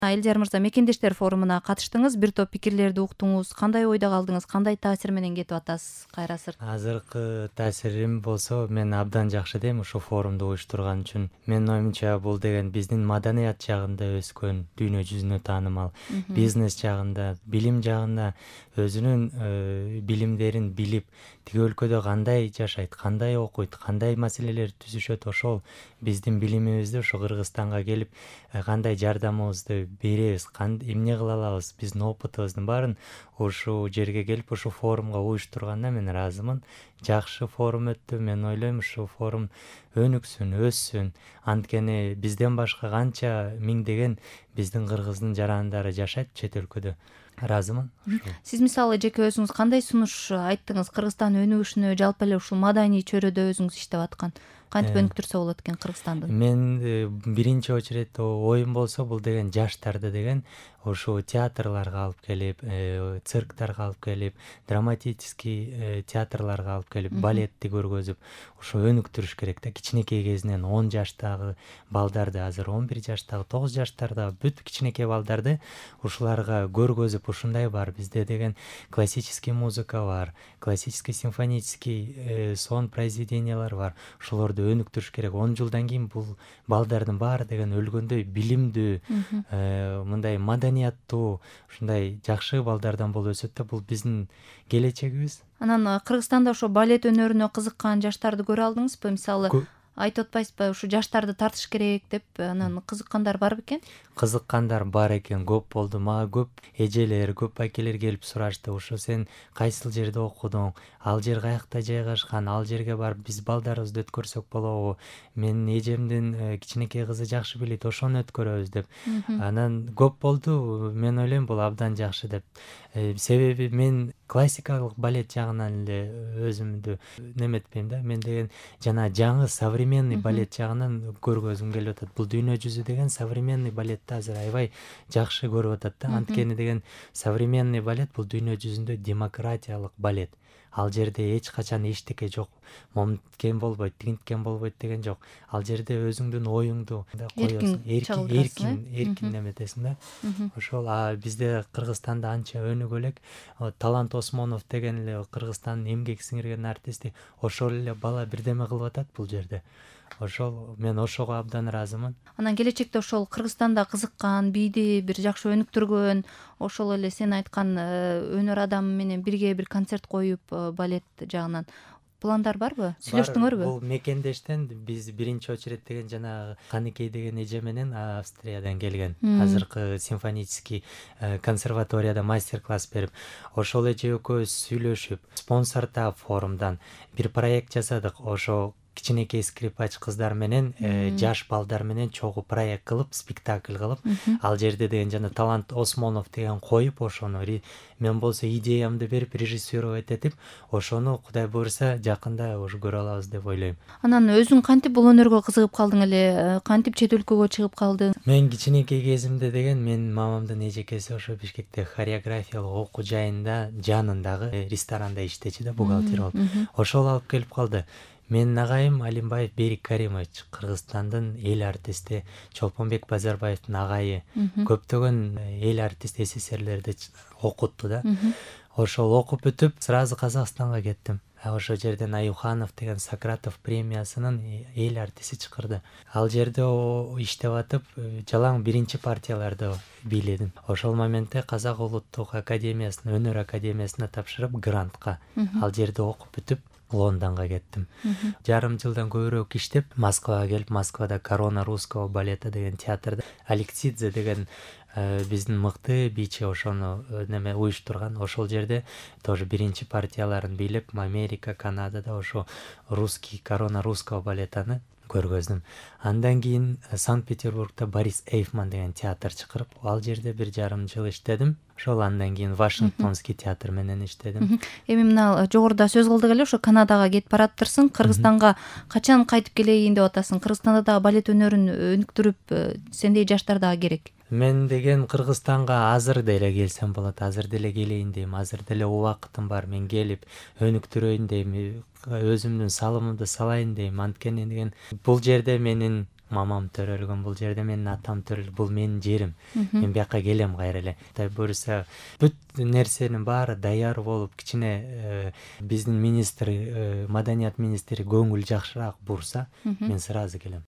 Элдияр мырза, мекендештер форумуна катыштыңыз, бир топ пикирлерди уктуңуз. Кандай ойдо калдыңыз? Кандай таасир менен кетип атасыз кайра сырт? Азыркы таасирим болсо, мен абдан жакшы дейм ушул форумду уюштурган үчүн. Менин оюмча, бул деген биздин маданият жагында өскөн, дүйнө жүзүнө таанымал, бизнес жагында, билим жагында өзүнүн билимдерин билип, тиги өлкөдө кандай жашайт, кандай окуйт, кандай маселелер түзүшөт, ошол биздин билимибизди ушу Кыргызстанга келип кандай жардамыбызды беребиз, эмне кыла алабыз, биздин опытыбыздын баарын ушул жерге келип, ушул форумга уюштурганына мен ыраазымын. Жакшы форум өттү. Мен ойлойм, ушул форум өнүксүн, өссүн. Анткени бизден башка канча миңдеген биздин кыргыздын жарандары жашайт чет өлкөдө. Ыраазымын. Сиз мисалы жеке өзүңүз кандай сунуш айттыңыз Кыргызстан өнүгүшүнө, жалпы эле ушул маданий чөйрөдө өзүңүз иштеп аткан? Кантип өнүктүрсө болот экен Кыргызстанды? Мен биринчи очередде оюм болсо, бул деген жаштарды деген ошо театрларга алып келип, цирктарга алып келип, драматический театрларга алып келип, балетти көргөзүп, ошо өнүктүрүш керек да. Кичинекей кезинен 10 жаштагы балдарды, азыр 11 жаштагы, 9 жаштардагы бүт кичинекей балдарды ушуларга көргөзүп, ушундай бар. Бизде деген классический музыка бар, классический симфонический сон произведениялар бар. Ошолорду өнүктүрүш керек. 10 жылдан кийин бул балдардын баары деген өлгөндөй билимдүү, мындай маданияттуу, ушундай жакшы балдардан болуп өсөт да. Бул биздин келечегибиз. Анан Кыргызстанда ошо балет өнөрүнө кызыккан жаштарды көрө алдыңызбы? Мисалы, айтып атпайсызбы, ушу жаштарды тартыш керек деп, анан кызыккандар бар бекен? Кызыккандар бар экен, көп болду. Мага көп эжелер, көп акелер келип сурашты. Ушу сен кайсыл жерде окудуң? Ал жер каякта жайгашкан? Ал жерге барып биз балдарыбызды өткөрсөк болобу? Менин эжемдин кичинекей кызы жакшы билет, ошону өткөрөбүз деп. Анан көп болду. Мен ойлойм, бул абдан жакшы деп. Себеби мен классикалык балет жагынан эле өзүмдү неметпейм да. Мен деген жана жаңы современный балет жагынан көргөзүм келип атат. Бул дүйнө жүзү деген современный балетти азыр аябай жакшы көрүп атат да. Анткени деген современный балет бул дүйнө жүзүндө демократиялык балет. Ал жерде эч качан эчтеке жок. Момткен болбойт, тигинткен болбойт деген жок. Ал жерде өзүңдүн оюңду коесуң, эркин неметесиң да. Ошол бизде Кыргызстанда анча өнүгө элек. Талант Осмонов деген эле Кыргызстандын эмгек сиңирген артисти, ошол эле бала бирдеме кылып атат бул жерде. Ошол мен ошого абдан ыраазымын. Анан келечекте ошол Кыргызстанда кызыккан, бийди бир жакшы өнүктүргөн, ошол эле сен айткан өнөр адамы менен бирге бир концерт коюп, балет жагынан пландар барбы? Сүйлөштүңөрбү? Бул мекендештен биз биринчи очередь деген жанагы Каныкей деген эже менен Австриядан келген. Азыркы симфонический консерваторияда мастер-класс берип, ошол эже экөөбүз сүйлөшүп, спонсордоп форумдан бир проект жасадык. Ошо кичинекей скрипач кыздар менен жаш балдар менен чогуу проект кылып, спектакль кылып, ал жерде деген жана Талант Осмонов деген коюп, ошону мен болсо идеямды берип, режиссировать этип, ошону Кудай буйруса жакында ушу көрө алабыз деп ойлойм. Анан өзүң кантип бул өнөргө кызыгып калдың эле? Кантип чет өлкөгө чыгып калдың? Мен кичинекей кезимде деген менин мамамдын эжекеси ошо Бишкекте хореографиялык окуу жайында жанындагы ресторанда иштечү да, бухгалтер болуп. Ошол алып келип калды. Менин агайым Алимбаев Берик Каримович, Кыргызстандын эл артисти, Чолпонбек Базарбаевдин агайы, көптөгөн эл артист СССРлерди окутту да. Ошол окуп бүтүп, сразу Казакстанга кеттим. Ошол жерден Аюханов деген Сократов премиясынын эл артисти чакырды. Ал жерде иштеп атып, жалаң биринчи партияларды бийледим. Ошол моментте Казак улуттук академиясына, өнөр академиясына тапшырып, грантка ал жерде окуп бүтүп, Лондонго кеттим. Жарым жылдан көбүрөөк иштеп, Москвага келип, Москвада Корона русского балета деген театрда Алексидзе деген биздин мыкты бийчи ошону уюштурган. Ошол жерде тоже биринчи партияларын бийлеп, Америка, Канадада ошо русский Корона русского балетаны көргөздүм. Андан кийин Санкт-Петербургда Борис Эйфман деген театр чакырып, ал жерде бир жарым жыл иштедим. Ошол андан кийин Вашингтонский театр менен иштедим. Эми мына жогоруда сөз кылдык эле, ошо Канадага кетип бараптырсың. Кыргызстанга качан кайтып келейин деп атасың? Кыргызстанда дагы балет өнөрүн өнүктүрүп, сендей жаштар дагы керек. Мен деген Кыргызстанга азыр деле келсем болот, азыр деле келейин дейм, азыр деле убакытым бар. Мен келип өнүктүрөйүн дейм, өзүмдүн салымымды салайын дейм. Анткени деген бул жерде менин мамам төрөлгөн бул жерде, менин атам төрөлгөн, бул менин жерим, мен бияка келем кайра эле. Буюрса бүт нерсенин баары даяр болуп, кичине биздин министр, маданият министри көңүл жакшыраак бурса, мен сразу келем.